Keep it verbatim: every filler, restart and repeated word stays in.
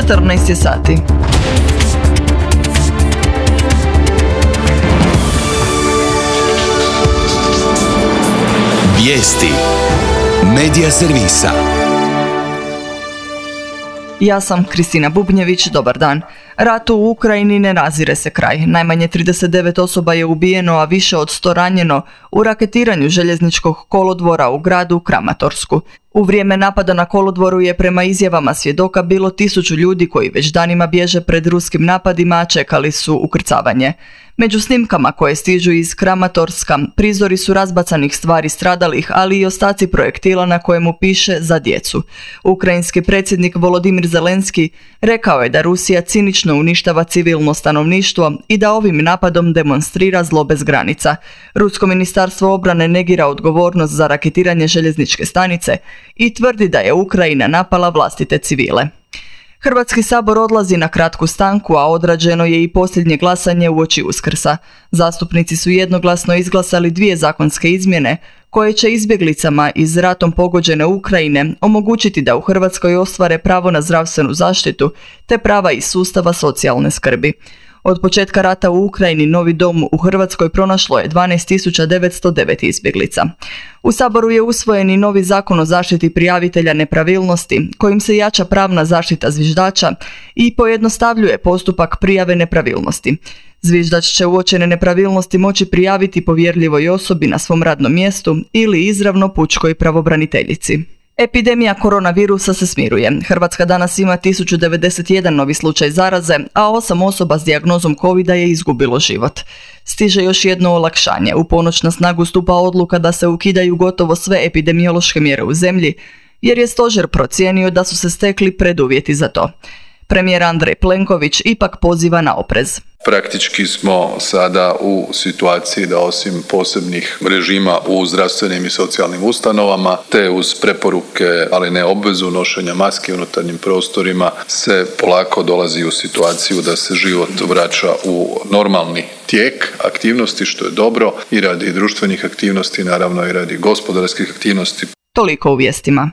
četrnaest je sati. Vijesti Medija servisa. Ja sam Kristina Bubnjević, dobar dan. Ratu u Ukrajini ne nazire se kraj. Najmanje trideset devet osoba je ubijeno, a više od sto ranjeno u raketiranju željezničkog kolodvora u gradu Kramatorsku. U vrijeme napada na kolodvoru je prema izjavama svjedoka bilo tisuću ljudi koji već danima bježe pred ruskim napadima, a čekali su ukrcavanje. Među snimkama koje stižu iz Kramatorska prizori su razbacanih stvari stradalih, ali i ostaci projektila na kojemu piše za djecu. Ukrajinski predsjednik Volodimir Zelenski rekao je da Rusija cinično uništava civilno stanovništvo i da ovim napadom demonstrira zlo bez granica. Rusko ministarstvo obrane negira odgovornost za raketiranje željezničke stanice i tvrdi da je Ukrajina napala vlastite civile. Hrvatski sabor odlazi na kratku stanku, a odrađeno je i posljednje glasanje uoči Uskrsa. Zastupnici su jednoglasno izglasali dvije zakonske izmjene koje će izbjeglicama iz ratom pogođene Ukrajine omogućiti da u Hrvatskoj ostvare pravo na zdravstvenu zaštitu te prava iz sustava socijalne skrbi. Od početka rata u Ukrajini novi dom u Hrvatskoj pronašlo je dvanaest tisuća devetsto devet izbjeglica. U Saboru je usvojen i novi zakon o zaštiti prijavitelja nepravilnosti, kojim se jača pravna zaštita zviždača i pojednostavljuje postupak prijave nepravilnosti. Zviždač će uočene nepravilnosti moći prijaviti povjerljivoj osobi na svom radnom mjestu ili izravno pučkoj pravobraniteljici. Epidemija koronavirusa se smiruje. Hrvatska danas ima tisuću devedeset jedan novi slučaj zaraze, a osam osoba s dijagnozom covida je izgubilo život. Stiže još jedno olakšanje. U ponoć na snagu stupa odluka da se ukidaju gotovo sve epidemiološke mjere u zemlji, jer je stožer procijenio da su se stekli preduvjeti za to. Premijer Andrej Plenković ipak poziva na oprez. Praktički smo sada u situaciji da osim posebnih režima u zdravstvenim i socijalnim ustanovama, te uz preporuke, ali ne obvezu nošenja maske u unutarnjim prostorima, se polako dolazi u situaciju da se život vraća u normalni tijek aktivnosti, što je dobro i radi društvenih aktivnosti, naravno i radi gospodarskih aktivnosti. Toliko u vijestima.